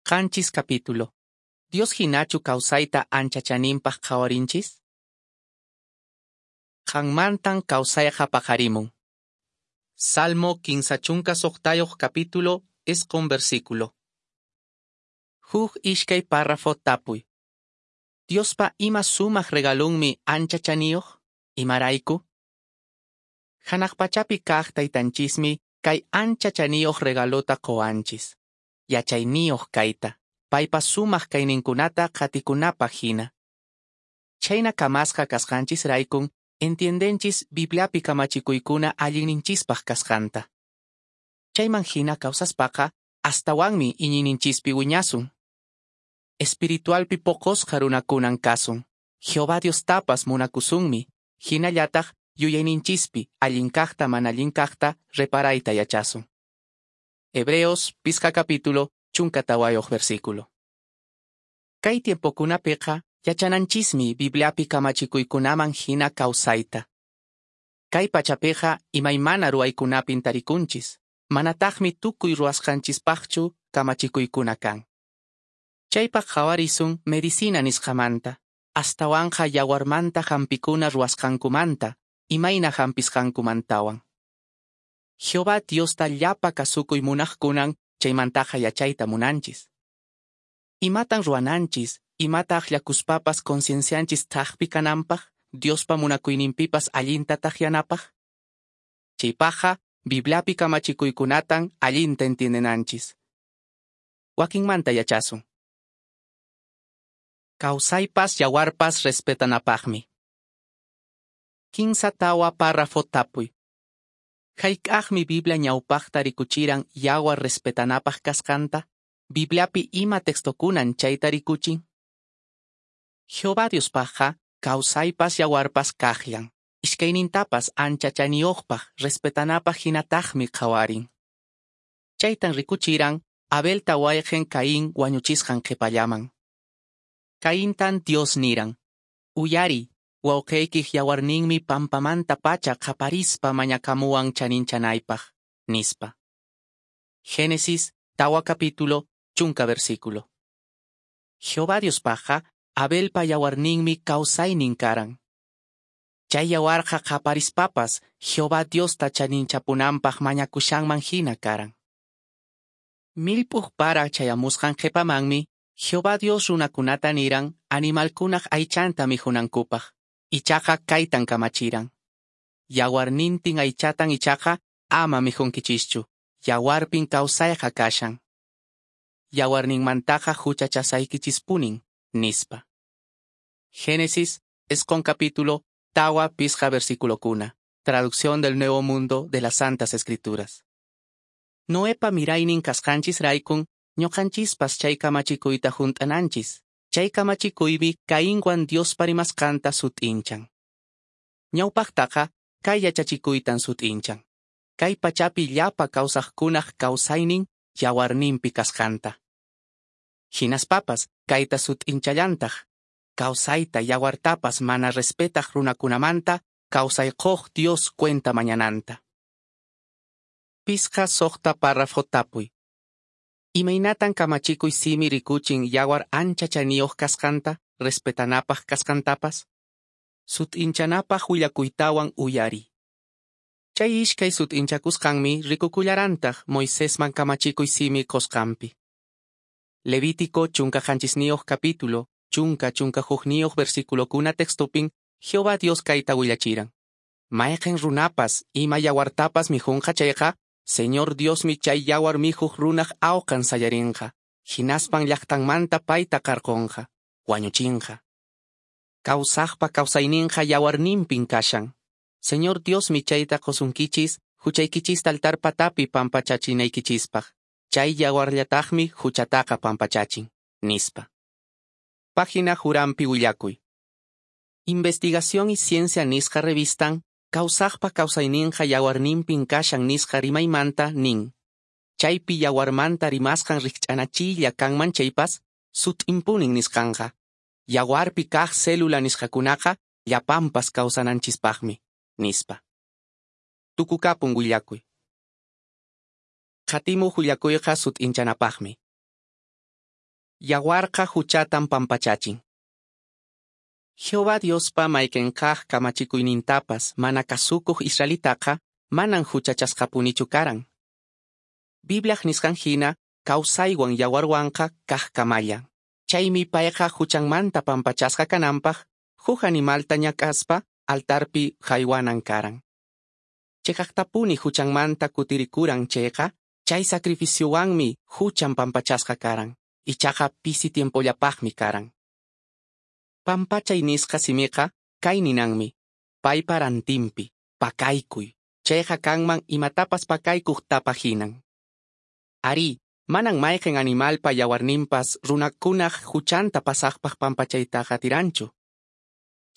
7 capítulo. Dios hinachu kawsayta ancha chaninpaq qhawarinchis? Qanmantan kawsayqa paqarimun. Salmo 36 capítulo, 9 versículo. Huk ishkay párrafo tapuy. Diospa ima sumaq regalunmi ancha chaniyuq? Imarayku? Hanaq pachapi kaq taytanchismi kay ancha chaniyuq regalota qowanchis. Yachayniyuq kayta, paypa sumaq kayninkunata qatikunapaq hina. Chhayna kamasqa kasqanchisraykun entiendenchis Bibliapi kamachikuykuna allinninchispaq kasqanta. Chayman hina kawsaspaqa astawanmi iñiyninchispi wiñasun. Espiritualpi poqosqa runakunan kasun. Jehová Diostapas munakusunmi, hinallataq yuyayninchispi allin kaqta mana allin kaqta reparayta yachasun. Hebreos 5 capítulo 14 versículo. Kay tiempokunapiqa yachananchismi Bibliapi kamachikuykunaman hina kawsayta. Kay pachapiqa imaymana ruwaykunapin tarikunchis, manataqmi tukuy ruwasqanchispaqchu kamachikuykuna kan. Chaypaq qhawarisun medicina nisqamanta, astawanqa yawarmanta hampikuna ruwasqankumanta, imayna hampisqankumantawan. Jehová Diosta llapa kasukuy munaqkunan chaymantaqa yachayta munanchis. Imatan ruwananchis, imata akllakuspapas conciencianchis thakpi kananpaq, Diospa munakuyninpipas allinta takyanapaq? Chaypaqqa Bibliapi kamachikuykunatan allinta entiendenanchis. Wakinmanta yachasun. Kawsaypas yawarpas respetanapaqmi. 14 párrafo tapuy. Hayk'aqmi Biblia ñawpaqta rikuchiran yawar respetanapaq kasqanta? Bibliapi ima textokunan chayta rikuchin? Jehová Diospaqqa kawsaypas yawarpas kaqllan. Iskaynintapas ancha chaniyuqpaq respetanapaq hinataqmi qhawarin. Chaytan rikuchiran Abelta wayqin Caín wañuchisqan qhipallaman. Caintan Dios niran: Uyari, wawqiykiq yawarninmi pampamanta pacha qaparispa mañakamuwan chaninchanaypaq, nispa. Génesis 4 capítulo 10 versículo. Jehová Diospaqqa Abelpa yawarninmi kawsaynin karan. Chay yawarqa qaparispapas Jehová Diosta chaninchapunanpaq mañakushanman hina karan. Millp'uq para chayamusqan qhipamanmi Jehová Dios runakunata niran animalkunaq aychanta mikhunankupaq. Ichaqa kaytan kamachiran: Yawarnintin aychatan ichaqa ama mikhunkichischu, yawarpin kawsayqa kashan. Yawarninmantaqa huchachasaykichispunin, nispa. Génesis 9 capítulo 4 versículo kuna. Traducción del Nuevo Mundo de las Santas Escrituras. Noepa miraynin kasqanchisraykun ñuqanchispas chay kamachikuyta hunt'ananchis. Chay kamachikuymi Cainwan Diospa rimasqanta sut'inchan. Ñawpaqtaqa kay yachachikuytan sut'inchan. Kay pachapi llapa kawsaqkunaq kawsaynin yawarninpi kasqanta. Hinaspapas kayta sut'inchallantaq. Kawsayta yawartapas mana respetaq runakunamanta kawsay quq Dios cuenta mañananta. 6 párrafo tapuy. Imaynatan kamachikuy simi rikuchin yawar ancha chaniyuq kasqanta, respetanapaq kasqantapas? Sut'inchanapaq willakuytawan uyari. Chay ishkay sut'inchakusqanmi rikukullarantaq Moisesman kamachikuy simi qusqanpi. Levítico 17 capítulo, 11 versículokuna textopin Jehová Dios kayta willachiran: Mayqin runapas ima yawartapas mikhunqa chayqa, Señor Diosmi chay yawar mikhuq runaq awqan sayarinqa, hinaspan llaqtanmanta payta qarqunqa, wañuchinqa. Kawsaqpa kawsayninqa yawarninpin kashan. Señor Diosmi chayta qusunkichis, huchaykichista altar patapi pampachachinaykichispaq. Chay yawarllataqmi huchataqa pampachachin, nispa. Página Jurampi willakuy. Investigación y Ciencia nisqa revistan kawsaqpa kawsayninqa yawarninpin kashan nisqa rimaymanta nin. Chaypi yawarmanta rimasqan rikch'anachiylla kanman chaypas, sut'inpunin nisqanqa. Yawarpi kaq célula nisqakunaqa llapanpas kawsananchispaqmi, nispa. Tukukapun willakuy. Qatimuq willakuyqa sut'inchanapaqmi. Yawarqa huchatan pampachachin. Jehová Diospa mayqin kaq kamachikuynintapas mana kasukuq israelitaqa manan huchachasqapunichu karan. Bibliaq nisqan hina kawsaywan yawarwanqa kaqkamallan. Chaymi payqa huchanmanta pampachasqa kananpaq huk animalta ñak'aspa altarpi haywanan karan. Cheqaqtapuni huchanmanta kutirikuran chayqa, chay sacrificiowanmi huchan pampachasqa karan. Ichaqa pisi tiempollapaqmi karan. Pampachay nisqa simiqa kay ninanmi, paypa rantinpi, pakaykuy, chayqa kanman imatapas pakaykuq tapa hinan. Arí, manan mayqin animalpa yawarninpas runakunaq huchanta pasaqpaq pampachaytaqa atiranchu.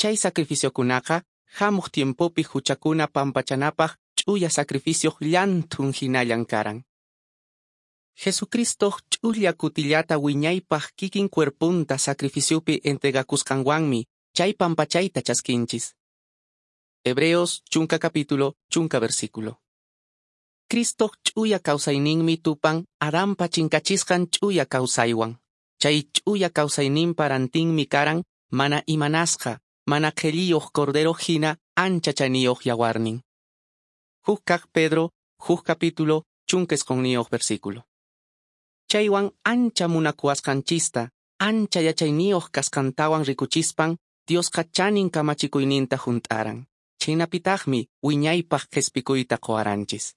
Chay sacrificiokunaqa hamuq tiempopi huchakuna pampachanapaq ch'uya sacrificioq llanthun hinallan karan. Jesucristoq ch'ulla kutillata wiñaypaq kikin cuerpunta sacrificiopi entregakusqanwanmi chay pampachayta chaskinchis. Hebreos 10 capítulo 10 versículo. Cristoq ch'uya kawsayninmi tupan Adanpa chinkachisqan ch'uya kawsaywan. Chay ch'uya kawsayninpa rantinmi karan mana imanasqa, mana qhelliyuq cordero hina ancha chaniyuq yawarnin. Huk kaq Pedro, huk capítulo, 19 versículo. Chaywan ancha munakuwasqanchista, ancha yachayniyuq kasqantawan rikuchispan, Diosqa chanin kamachikuyninta hunt'aran. Chhaynapitaqmi wiñaypaq qhispikuyta quwaranchis.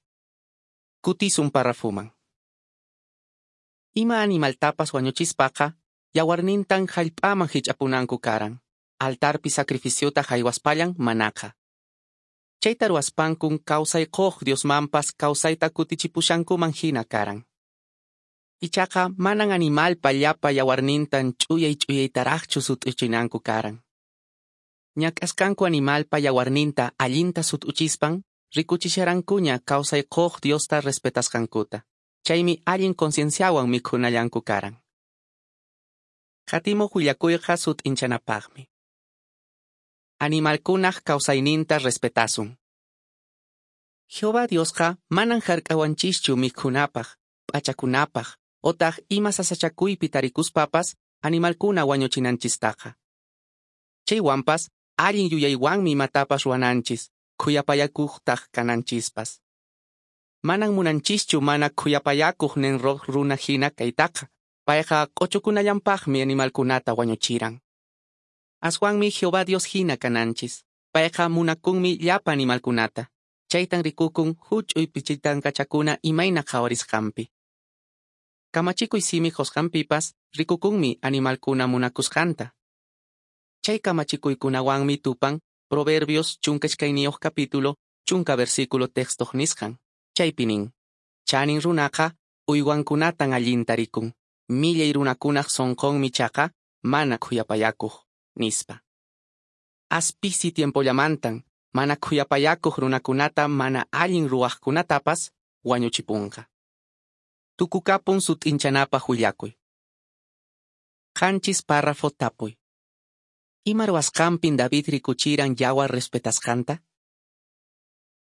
Kutisun parrafuman. Ima animaltapas wañuchispaqa, yawarnintan hallp'aman hich'apunanku karan. Altarpi sacrificiota haywaspallan manaqa. Chayta ruwaspankun kawsay quq Diosmanpas kawsayta kutichipushankuman hina karan. Ichaqa manan animalpa llapa yawarnintan ch'uyay ch'uyaytaraqchu sut'uchinanku karan. Ñak'asqanku animalpa yawarninta allinta sut'uchispan, rikuchisharankuña kawsay quq Diosta respetasqankuta. Chaymi allin concienciawan mikhunallanku karan. Qatimuq willakuyqa sut'inchanapaqmi. Animalkunaq kawsayninta respetasun. Jehová Diosqa manan hark'awanchischu mikhunapaq, p'achakunapaq, otaq ima sasachakuypi tarikuspapas animalkuna wañuchinanchistaqa. Chaywanpas allin yuyaywanmi imatapas ruwananchis, khuyapayakuqtaq kananchispas. Manan munanchischu mana khuyapayakuq Nemrod runa hina kaytaqa, payqa q'uchukunallanpaqmi animalkunata wañuchiran. Aswanmi Jehová Dios hina kananchis, payqa munakunmi llapa animalkunata, chaytan rikukun huch'uy pichitankachakuna imayna qhawarisqanpi. Kamachikuy simi qusqanpipas rikukunmi animalkuna munakusqanta. Chay kamachikuykunawanmi tupan Proverbios 12 capítulo 10 versículo textoq nisqan. Chaypi nin, chanin runaqa uywankunatan allinta rikun, millay runakunaq sunqunmi chaqa mana khuyapayakuq, nispa. As pisi tiempollamantan mana khuyapayakuq runakunata mana allin ruwaqkunatapas wañuchipunqa. Tukukapun sut'inchanapaq willakuy. 7 párrafo tapuy. Ima ruwasqanpin David rikuchiran yawar respetasqanta?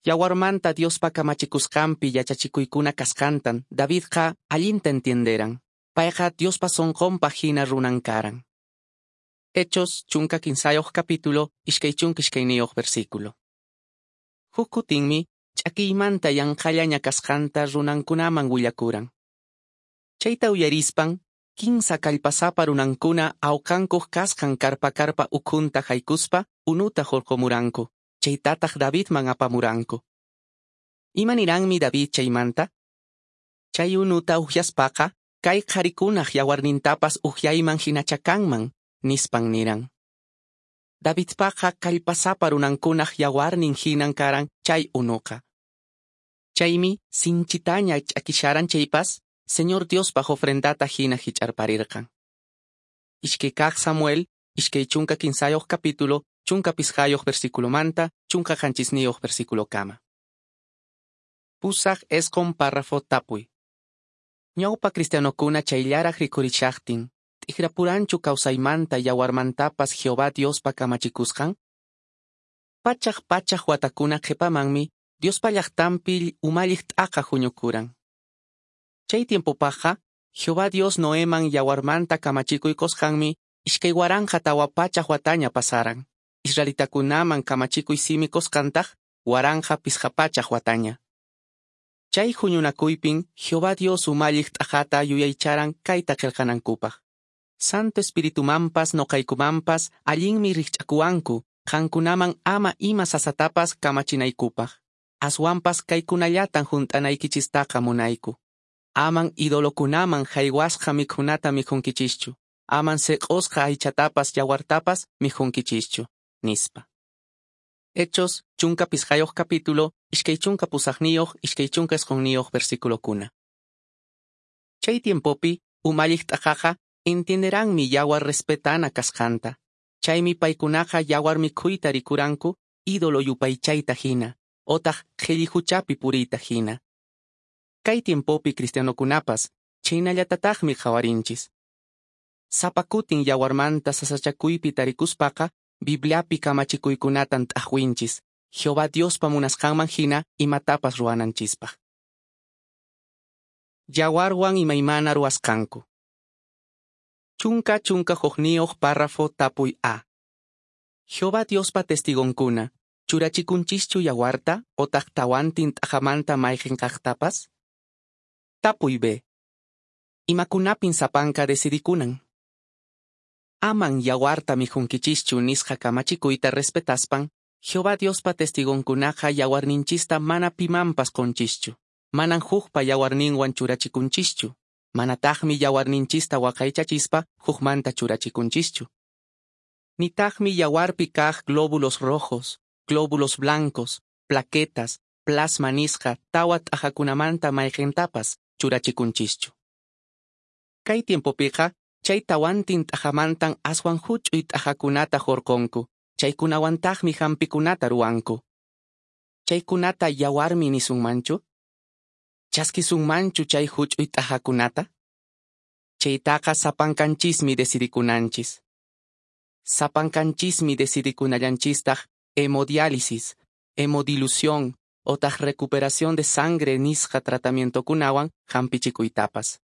Yawarmanta Diospa kamachikusqanpi yachachikuykuna kasqantan Davidqa allinta entienderan. Payqa Diospa sunqunpaq hina runan karan. Hechos 15 capítulo 22 versículo. Huk kutinmi ch'akiymanta yanqhallaña kasqanta runankunaman willakuran. Chayta uyarispan, kinsa kallpasapa runankuna awqankuq kasqan karpa karpa ukhunta haykuspa unuta hurqumuranku, chaytataq Davidman apamuranku. Ima niranmi David chaymanta? Chay unuta uhyaspaqa, kay qharikunaq yawarnintapas uhyayman hinacha kanman, nispan niran. Davidpaqa kallpasapa runankunaq yawarnin hinan karan chay unuqa. Chaymi sinchitaña ch'akisharan chaypas, Señor Diospaq ofrendata hina hich'arparirqan. 2 Samuel, 23 capítulo, 15 versículomanta, 17 versículokama. 8 párrafo tapuy. Ñawpa cristianokuna chayllaraq rikurishaqtin, t'ikrapuranchu kawsaymanta yawarmantapas Jehová Diospa kamachikusqan? Pachaq pachaq watakuna qhipamanmi Diospa llaqtanpi umalliq t'aqa huñukuran. Chay tiempopaqqa Jehová Dios Noeman yawarmanta kamachikuy qosqanmi 2400 wataña pasaran. Israelitakunaman kamachikuy simi qosqantaq 1500 wataña. Chay huñunakuypin Jehová Dios umalliq t'aqata yuyaycharan kayta qillqanankupaq. Santo Espiritumanpas noqaykumanpas allinmi rikch'akuwanku qankunaman ama ima sasatapas kamachinaykupaq. Aswanpas kaykunallatan hunt'anaykichistaqa munayku. Aman idolokunaman haywasqa mikhunata mikhunkichischu. Aman seq'osqa aychatapas yawartapas mikhunkichischu, nispa. Hechos 15 capítulo, 28 29 versículokuna. Chay tiempopi, umalliq t'aqaqa entienderanmi yawar respetana kasqanta. Chaymi paykunaqa yawar mikhuyta rikuranku ídolo yupaychayta hina, otaq qhilli huchapi puriyta hina. Kay tiempopi cristianokunapas chhaynallatataqmi qhawarinchis. Sapa kutin yawarmanta sasachakuypi tarikuspaqa Bibliapi kamachikuykunatan t'aqwinchis, Jehová Diospa munasqanman hina imatapas ruwananchispaq. Yawarwan imaymana ruwasqanku. 11 párrafo tapuy A. Jehová Diospa testigonkuna, churachikunchischu yawarta otaq tawantin t'aqamanta mayqin kaqtapas? Tapuy B. Imakunapin sapanka decidikunan? Aman yawarta mikhunkichischu nisqa kamachikuyta respetaspan, Jehová Diospa testigonkunaqa yawarninchista mana pimanpas qonchischu, manan hukpa yawarninwan churachikunchischu, manataqmi yawarninchista waqaychachispa hukmanta churachikunchischu. Nitaqmi yawarpi kaq glóbulos rojos, glóbulos blancos, plaquetas, plasma nisqa tawa t'aqakunamanta mayqintapas churachikunchischu. Kay tiempopiqa chay tawantin t'aqamantan aswan huch'uy t'aqakunata hurqunku, chaykunawantaqmi hampikunata ruwanku. Chaykunata yawarmi nisunmanchu? Chaskisunmanchu chay huch'uy t'aqakunata? Chaytaqa sapankanchismi decidikunanchis. Sapankanchismi decidikunallanchistaq hemodiálisis, hemodilución otaq recuperación de sangre nisqa tratamientokunawan hampichikuytapas.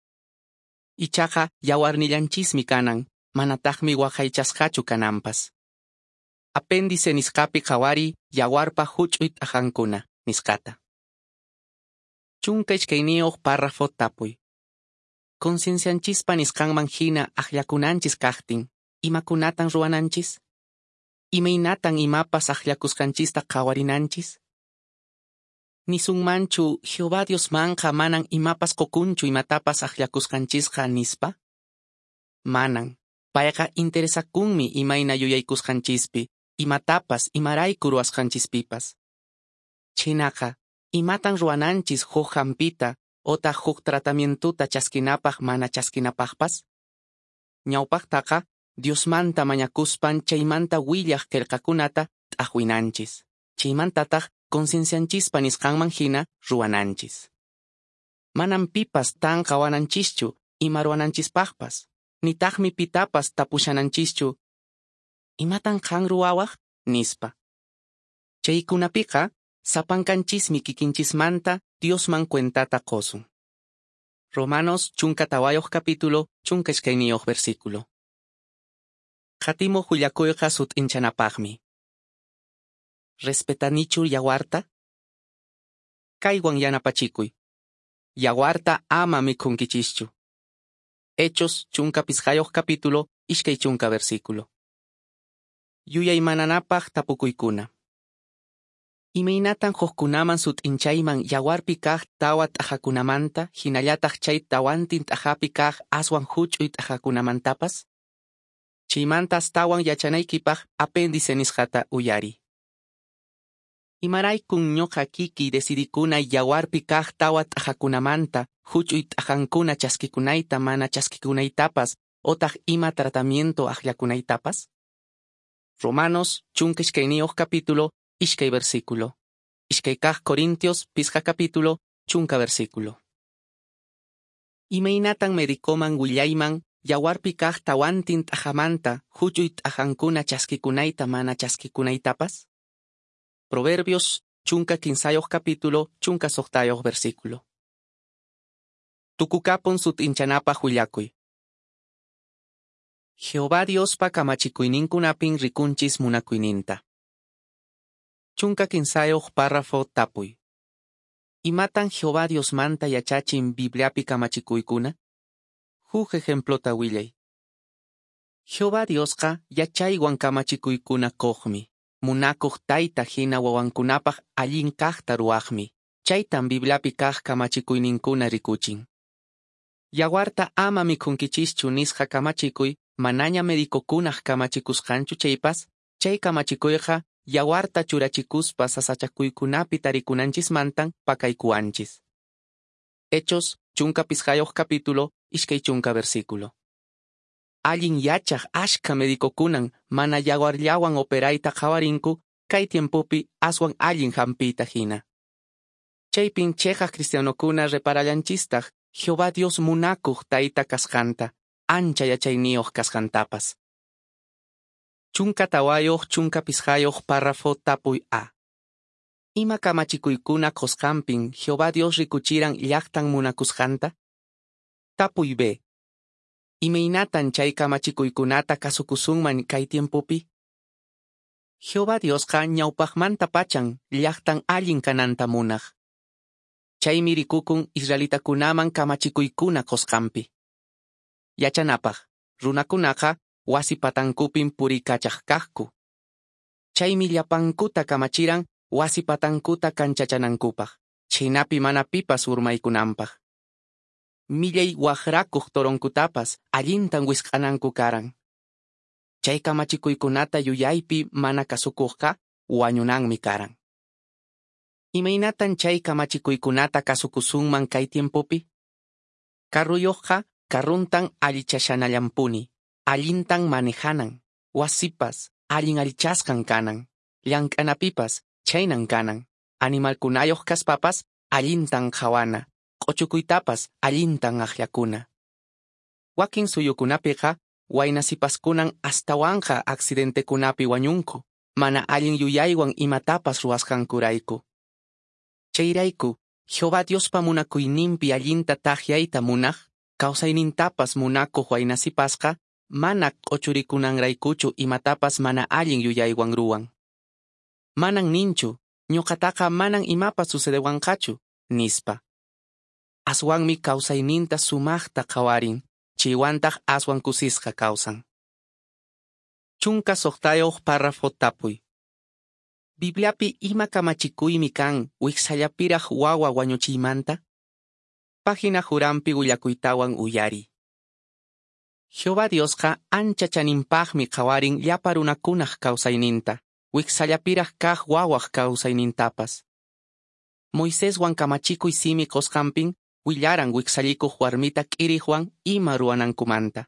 Ichaqa yawarnillanchismi kanan, manataqmi waqaychasqachu kananpas. Apéndice nisqapi qhawariy yawarpa huch'uy t'aqankuna nisqata. 12 párrafo tapuy. Conciencianchispa nisqanman hina akllakunanchis kaqtin, imakunatan ruwananchis? Imaynatan imapas akllakusqanchista qhawarinanchis? Nisunmanchu Jehová Diosmanqa manan imapas qokunchu imatapas akllakusqanchisqa nispa? Manan. Payqa interesakunmi imayna yuyaykusqanchispi, imatapas imarayku ruwasqanchispipas. Chhaynaqa, imatan ruwananchis huk hampita otaq huk tratamientuta chaskinapaq mana chaskinapaqpas? Ñawpaqtaqa Diosmanta mañakuspan chaymanta willaq qillqakunata t'aqwinanchis. Chaymantataq conciencianchispa nisqanman hina ruwananchis. Manan pipas tanqawananchischu ima ruwananchispaqpas, nitaqmi pitapas tapushananchischu imatan qan ruwawaq nispa. Chaykunapiqa sapankanchismi kikinchismanta Diosman cuentata qosun. Romanos 14 capítulo 12 versículo. Qatimuq willakuyqa sut'inchanapaqmi. Respetanichu yawarta? Kaywan yanapachikuy. Yawarta ama mikhunkichischu. Hechos 15 capítulo 20 versículo. Yuyaymananapaq tapukuykuna. Imaynatan hukkunaman sut'inchayman yawarpi kaq tawa t'aqakunamanta hinallataq chay tawantin t'aqapi kaq aswan huch'uy t'aqakunamantapas? Chaymanta astawan yachanaykipaq apéndice nisqata uyariy. Imaraykun ñuqa kikiy decidikunay yawarpi kaq tawa t'aqakunamanta huch'uy t'aqankuna chaskikunayta mana chaskikunaytapas otaq ima tratamiento akllakunaytapas? Romanos 12 capítulo 2 versículo. 2 kaq Corintios 5 capítulo 10 versículo. Imaynatan medicoman willayman yawarpi kaq tawantin t'aqamanta huch'uy t'aqankuna chaskikunayta mana chaskikunaytapas? Proverbios 15 capítulo 16 versículo. Tukukapun sut'inchanapaq willakuy. Jehová Diospa kamachikuyninkunapin rikunchis munakuyninta. 13 párrafo tapuy. Imatan Jehová Diosmanta yachachin Bibliapi kamachikuykuna? Huk ejemplota willay. Jehová Diosqa yachaywan kamachikuykuna kuqmi. Munakuq tayta hina wawankunapaq allin kaqta ruwaqmi. Chaytan Bibliapi kaq kamachikuyninkuna rikuchin. Yawarta ama mikhunkichischu nisqa kamachikuy manaña medicokunaq kamachikusqanchu chaypas, chay kamachikuyqa yawarta churachikuspa sasachakuykunapi tarikunanchismantan pakaykuwanchis. Hechos 15 capítulo 20 versículo. Allin yachaq ashka medicokunan mana yawarllawan operayta qhawarinku kay tiempopi aswan allin hampiyta hina. Chaypin cheqaq cristianokuna reparallanchistaq Jehová Dios munakuq tayta kasqanta, ancha yachayniyuq kasqantapas. 14 15 párrafo tapuy A. Ima kamachikuykuna qusqanpin Jehová Dios rikuchiran llaqtan munakusqanta? Tapuy B. Imaynatan chay kamachikuykunata kasukusunman kay tiempopi? Jehová Diosqa ñawpaqmanta pachan llaqtan allin kananta munaq. Chaymi rikukun israelitakunaman kamachikuykuna qusqanpi. Yachanapaq, runakunaqa wasi patankupin purikachaq kaqku. Chaymi llapankuta kamachiran wasi patankuta kanchachanankupaq, chhaynapi mana pipas urmaykunanpaq. Millay waqrakuq toronkutapas allintan wisq'ananku karan. Chay kamachikuykunata yuyaypi mana kasukuqqa wañunanmi karan. Imaynatan chay kamachikuykunata kasukusunman kay tiempopi? Carruyuqqa carruntan allichashanallanpuni, allintan manejanan, wasipas allin allichasqan kanan, llank'anapipas chaynan kanan, animalkunayuq kaspapas allintan qhawana, q'uchukuytapas allintan aqllakuna. Wakin suyukunapiqa waynasipaskunan astawanqa accidentekunapi wañunku, mana allin yuyaywan imatapas ruwasqankurayku. Chayrayku, Jehová Diospa munakuyninpi allinta taqyayta munaq, kawsaynintapas munakuq waynasipasqa, mana q'uchurikunanraykuchu imatapas mana allin yuyaywan ruwan. Manan ninchu, ñuqataqa manan imapas sucedewanqachu, nispa. Aswanmi kawsayninta sumaqta qhawarin, chaywantaq aswan kusisqa kawsan. 16 párrafo tapuy. Bibliapi ima kamachikuymi kan wiksallapiraq wawa wañuchiymanta? Página juranpi willakuytawan uyari. Jehová Diosqa ancha chaninpaqmi qhawarin llapa runakunaq kawsayninta, wiksallapiraq kaq wawaq kawsaynintapas. Moiseswan kamachikuy simi qusqanpin willaran wiksallikuq warmita k'iriqwan ima ruwanankumanta.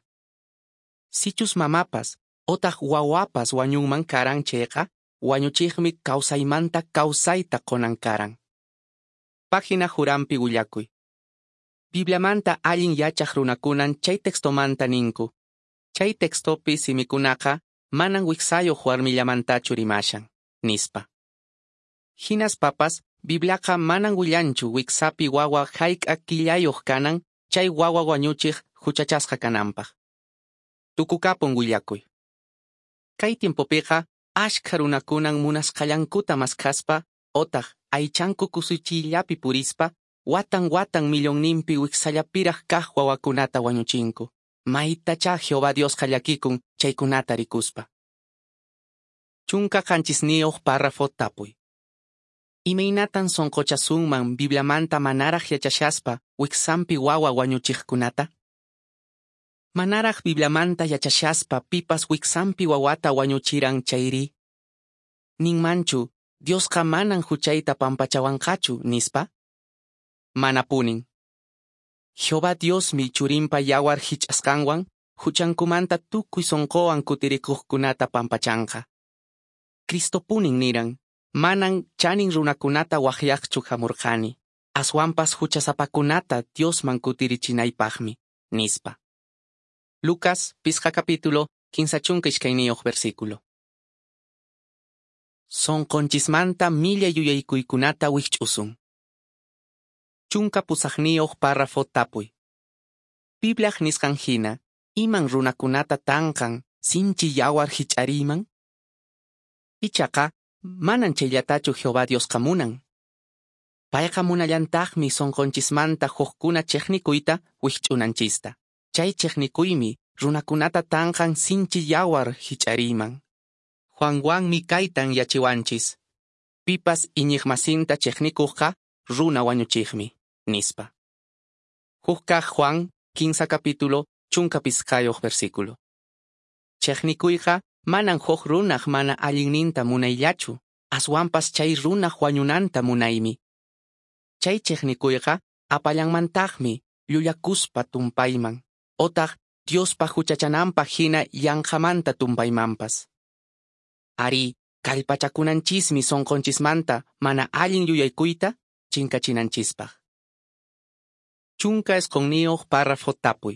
Sichus mamapas otaq wawapas wañunman karan chayqa, wañuchiqmi kawsaymanta kawsayta qunan karan. Página juranpi willakuy. Bibliamanta allin yachaq runakunan chay textomanta ninku. Chay textopi simikunaqa manan wiksayuq warmillamantachu rimashan, nispa. Hinaspapas, Bibliaqa manan willanchu wiksapi wawa hayk'a killayuq kanan chay wawa wañuchiq huchachasqa kananpaq. Tukukapun willakuy. Kay tiempopiqa ashkha runakunan munasqallankuta maskhaspa otaq aychanku kusichiyllapi purispa watan watan millonninpi wiksallapiraq kaq wawakunata wañuchinku. Maytachá Jehová Diosqa llakikun chaykunata rikuspa. 17 párrafo tapuy. Imaynatan sonqochasunman Bibliamanta manaraq yachashaspa wiksanpi wawa wañuchiqkunata? Manaraq Bibliamanta yachashaspa pipas wiksanpi wawata wañuchiran chayri? Ninmanchu, Diosqa manan huchayta pampachawanqachu, nispa? Manapunin. Jehová Diosmi churinpa yawar hich'asqanwan huchankumanta tukuy sonqowan kutirikuqkunata pampachanqa. Cristopunin niran, manan chanin runakunata waqyaqchu hamurqani, aswanpas huchasapakunata Diosman kutirichinaypaqmi, nispa. Lucas, 5 capítulo, 32 versículo. Sonqonchismanta millay yuyaykuykunata wikch'usun. 18 párrafo tapuy. Bibliaq nisqan hina, iman runakunata tanqan sinchi yawar hich'ariyman? Ichaqa, manan chayllatachu Jehová Diosqa munan. Payqa munallantaqmi sonqonchismanta hukkuna chiqnikuyta wikch'unanchista. Chay chiqnikuymi runakunata tanqan sinchi yawar hich'ariyman. Juanwanmi kaytan yachiwanchis. Pipas iñiqmasinta chiqnikuqqa runa wañuchiqmi, nispa. Huk kaq Juan, 15 capítulo, 15 versículo. Chiqnikuyqa manan huk runaq mana allinninta munayllachu, aswanpas chay runaq wañunanta munaymi. Chay chiqnikuyqa apallanmantaqmi llullakuspa tumpayman, otaq Diospa huchachananpaq hina yanqamanta tumpaymanpas. Ari, kallpachakunanchismi sonqonchismanta mana allin yuyaykuyta chinkachinanchispaq. 19 párrafo tapuy.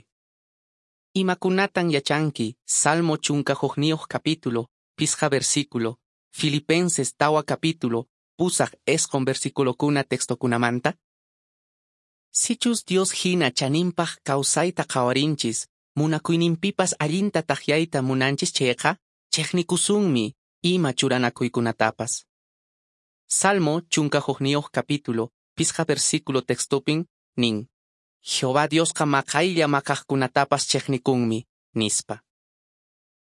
Imakunatan yachanki Salmo 11 capítulo, 5 versículo, Filipenses 4 capítulo, 8 versículokuna textokunamanta? Sichus Dios hina chaninpaq kawsayta qhawarinchis, munakuyninpipas allinta takyayta munanchis chayqa, chiqnikusunmi ima churanakuykunatapas. Salmo 11 capítulo, 5 versículo textopin nin: Jehová Diosqa maqaylla maqaqkunatapas chiqnikunmi, nispa.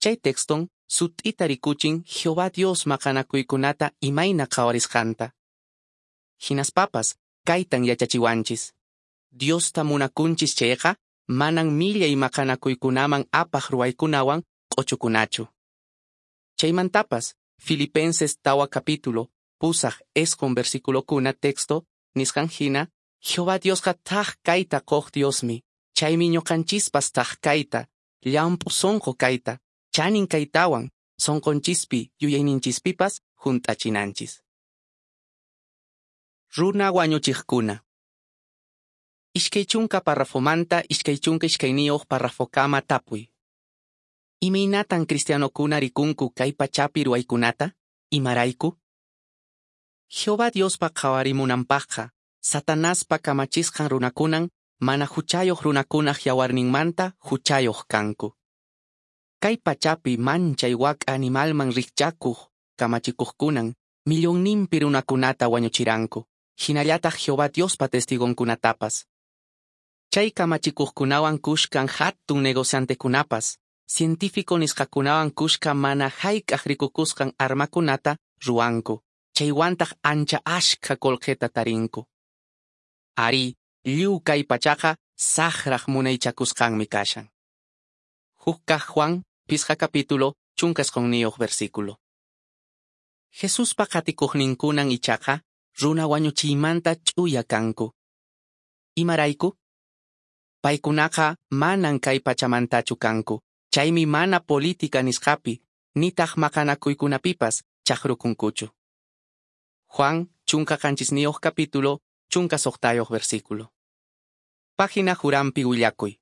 Chay texton sut'ita rikuchin Jehová Dios maqanakuykunata imayna qhawarisqanta. Hinaspapas kaytan yachachiwanchis. Diosta munakunchis chayqa manan millay maqanakuykunaman apaq ruwaykunawan q'uchukunachu. Chaymantapas Filipenses 4 capítulo, 8 versículokuna texto nisqan hina, Jehová Diosqa thak kayta quq Diosmi, chaymi ñuqanchispas thak kayta, llamp'u sonqo kayta, chanin kaytawan, sonqonchispi yuyayninchispipas hunt'achinanchis. Runa wañuchiqkuna. 20 párrafomanta 22 párrafokama tapuy. Imaynatan cristianokuna rikunku kay pachapi ruwaykunata? Imarayku? Jehová Diospa qhawarimunanpaqqa, Satanaspa kamachisqan runakunan mana huchayuq runakunaq yawarninmanta huchayuq kanku. Kay pachapi manchay wak'a animalman rikchakuq kamachikuqkunan millonninpi runakunata wañuchiranku, hinallataq Jehová Diospa testigonkunatapas. Chay kamachikuqkunawan kushkan hatun negociantekunapas, científico nisqakunawan kushka mana hayk'aq rikukusqan armakunata ruwanku, chaywantaq ancha ashkha qullqita tarinku. Ari, lliw kay pachaqa saqraq munaychakusqanmi kashan. Huk kaq Juan, 5 capítulo, 19 versículo. Jesuspa qatikuqninkunan ichaqa runa wañuchiymanta ch'uya kanku. Imarayku? Paykunaqa manan kay pachamantachu kanku, chaymi mana política nisqapi, nitaq maqanakuykunapipas chaqrukunkuchu. Juan, 17 capítulo, 16 versículo. Página Jurampi willakuy.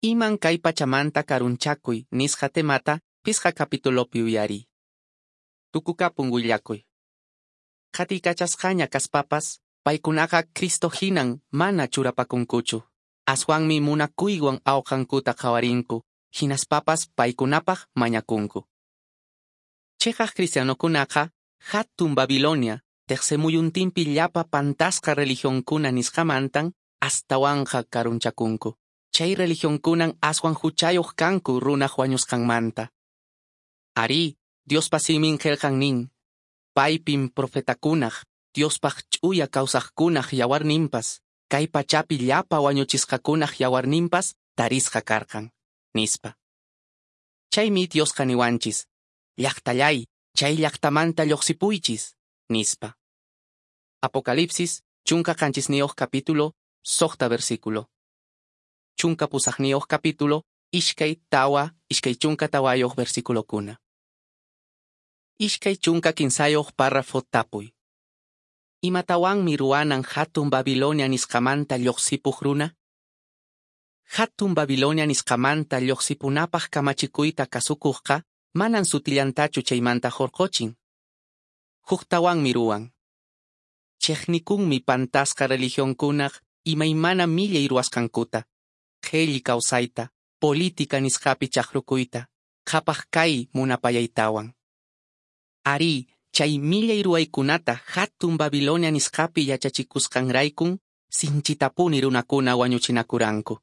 Iman kay pachamanta karunchakuy nisqa temata 5 capítulopi uyariy. Tukukapun willakuy. Qhatikachasqaña kaspapas, paykunaqa Cristo hinan mana churapakunkuchu. Aswanmi munakuywan awqankuta qhawarinku, hinaspapas paykunapaq mañakunku. Chiqaq cristianokunaqa hatun Babilonia, teqsimuyuntinpi llapa pantasqa religionkuna nisqamantan astawanqa karunchakunku. Chay religionkunan aswan huchayuq kanku runaq wañusqanmanta. Ari, Diospa simin qillqan nin, paypin profetakunaq, Diospaq ch'uya kawsaqkunaq yawarninpas, kay pachapi llapa wañuchisqakunaq yawarninpas tarisqa karqan, nispa. Chaymi Diosqa niwanchis, llaqtallay, chay llaqtamanta lluqsipuychis, nispa. Apocalipsis, 17 capítulo, 6 versículo. 18 capítulo, 2 tawa, 24 versículokuna. 23 párrafo tapuy. Imatawanmi ruwanan hatun Babilonia nisqamanta lluqsipuq runa? Hatun Babilonia nisqamanta lluqsipunapaq kamachikuyta kasukuqqa manan sutillantachu chaymanta hurquchin. Huktawanmi ruwan. Chiqnikunmi pantasqa religionkunaq imaymana millay ruwasqankuta. qhelli kawsayta, política nisqapi chaqrukuyta, qhapaq kay munapayaytawan. Arí, chay millay ruwaykunata hatun Babilonia nisqapi yachachikusqanraykun sinchitapuni runakuna wañuchinakuranku.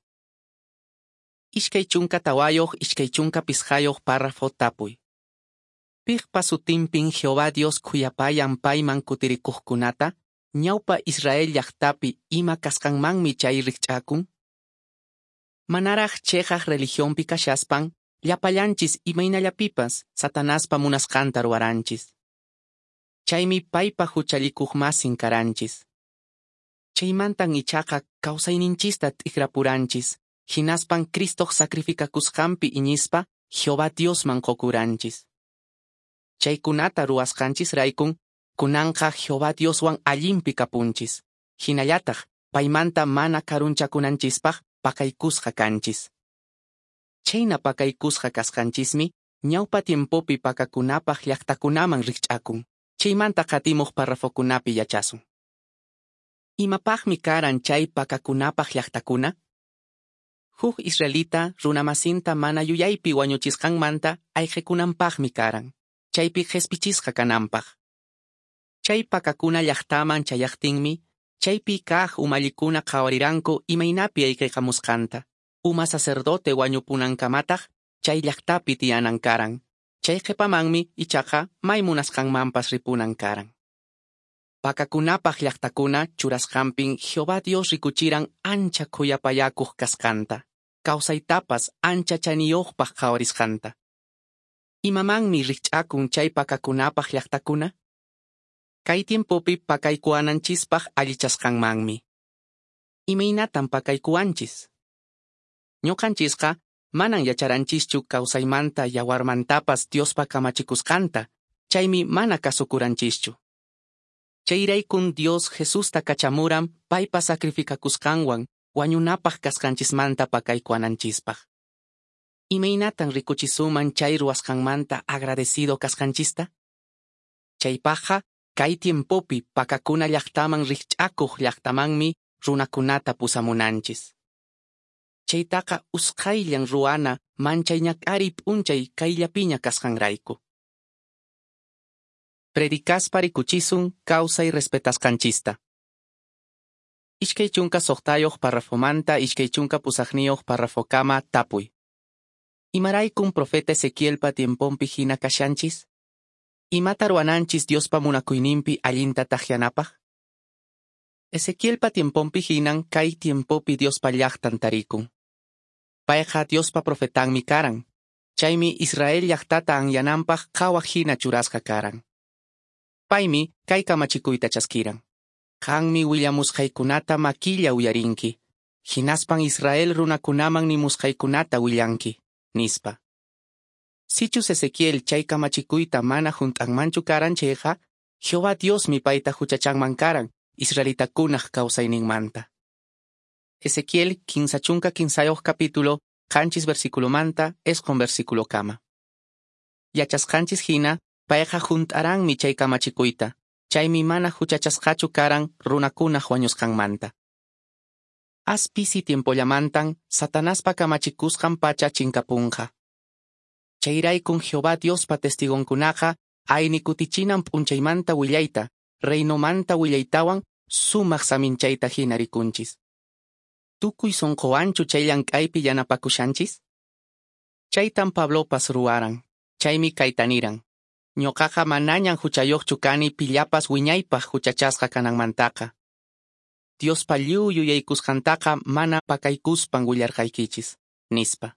24 25 párrafo tapuy. Piqpa sutinpin Jehová Dios khuyapayan payman kutirikuqkunata, ñawpa Israel llaqtapi ima kasqanmanmi chay rikch'akun? Manaraq cheqaq religionpi kashaspan, llapallanchis imaynallapipas Satanaspa munasqanta ruwaranchis. Chaymi paypa huchallikuqmasin karanchis. Chaymantan ichaqa kawsayninchista t'ikrapuranchis, hinaspan Cristoq sacrificakusqanpi iñispa Jehová Diosman qokuranchis. Chaykunata ruwasqanchisraykun kunanqa Jehová Dioswan allinpi kapunchis, hinallataq paymanta mana karunchakunanchispaq pakaykusqa kanchis. Chayna pakaykusqa kasqanchismi ñawpa tiempopi pakakunapaq llaqtakunaman rikch'akun. Chaymanta qatimuq parrafokunapi yachasun. Imapaqmi karan chay pakakunapaq llaqtakuna? Huk israelita runamasinta mana yuyaypi wañuchisqanmanta ayqikunanpaqmi karan, chaypi qhispichisqa kananpaq. Chay pakakuna llaqtaman chayaqtinmi, chaypi kaq umallikuna qhawariranku imaynapi ayqiqamusqanta. Uma sacerdote wañupunankamataq chay llaqtapi tiyanan karan. Chay qhipamanmi ichaqa may munasqanmanpas ripunan karan. Pakakunapaq llaqtakuna churasqanpin Jehová Dios rikuchiran ancha khuyapayakuq kasqanta, kawsaytapas ancha chaniyuqpaq qhawarisqanta. Imamanmi rikch'akun chay pakakunapaq llaqtakuna? Kay tiempopi pakaykuwananchispaq allichasqanmanmi. Imaynatan pakaykuwanchis? Ñuqanchisqa manan yacharanchischu kawsaymanta yawarmantapas Diospa kamachikusqanta, chaymi mana kasukuranchischu. Chayraykun Dios Jesusta kachamuran paypa sacrificakusqanwan wañunapaq kasqanchismanta pakaykuwananchispaq. Imaynatan rikuchisuman chay ruwasqanmanta agradecido kasqanchista? Chaypaqqa kay tiempopi pakakuna llaqtaman rikch'akuq llaqtamanmi runakunata pusamunanchis. Chaytaqa usqhayllan ruwana manchay ñak'ariy p'unchay kayllapiña kasqanrayku. Predicaspa rikuchisun kawsay respetasqanchista. 26 parrafomanta 28 parrafokama tapuy. Imaraykun profeta Ezequielpa tiemponpi hina kashanchis? Imata ruwananchis Diospa munakuyninpi allinta takyanapaq? Ezequielpa tiemponpi hinan kay tiempopi Diospa llaqtan tarikun. Payqa Diospa profetanmi karan. Chaymi Israel llaqtata anyananpaq qhawaq hina churasqa karan. Paymi kay kamachikuyta chaskiran. Qanmi willamusqaykunata makilla uyarinki. Hinaspan Israel runakunaman nimusqaykunata willanki, nispa. Sichus Ezequiel chay kamachikuyta mana hunt'anmanchu karan chayqa, Jehová Diosmi payta huchachanman karan israelitakunaq kawsayninmanta. Ezequiel 33 capítulo, 7 versículomanta, 9 versículokama. Yachasqanchis hina, payqa hunt'aranmi chay kamachikuyta, chaymi mana huchachasqachu karan runakunaq wañusqanmanta. As pisi tiempollamantan Satanaspa kamachikusqan pacha chinkapunqa. Chayraykun Jehová Diospa testigonkunaqa ayni kutichinan p'unchaymanta willayta, reinomanta willaytawan sumaq saminchayta hina rikunchis. Tukuy sunquwanchu chay llank'aypi yanapakushanchis? Chaytan Pablopas ruwaran, chaymi kayta niran. Ñuqaqa manañan huchayuqchu kani pillapas wiñaypaq huchachasqa kananmantaqa. Diospa lliw yuyaykusqantaqa mana pakaykuspan willarqaykichis, nispa.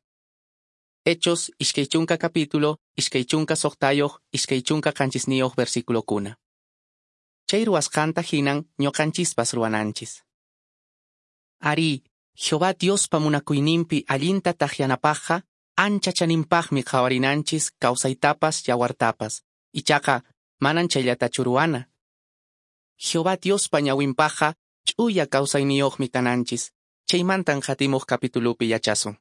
Hechos 20 capítulo, 26 27 versículokuna. Chay ruwasqanta hinan ñuqanchispas ruwananchis. Arí, Jehová Diospa munakuyninpi allinta takyanapaqqa ancha chaninpaqmi qhawarinanchis kawsaytapas yawartapas. Ichaqa manan chayllatachu ruwana. Jehová Diospa ñawinpaqqa ch'uya kawsayniyuqmi kananchis. Chaymantan qatimuq capitulupi yachasun.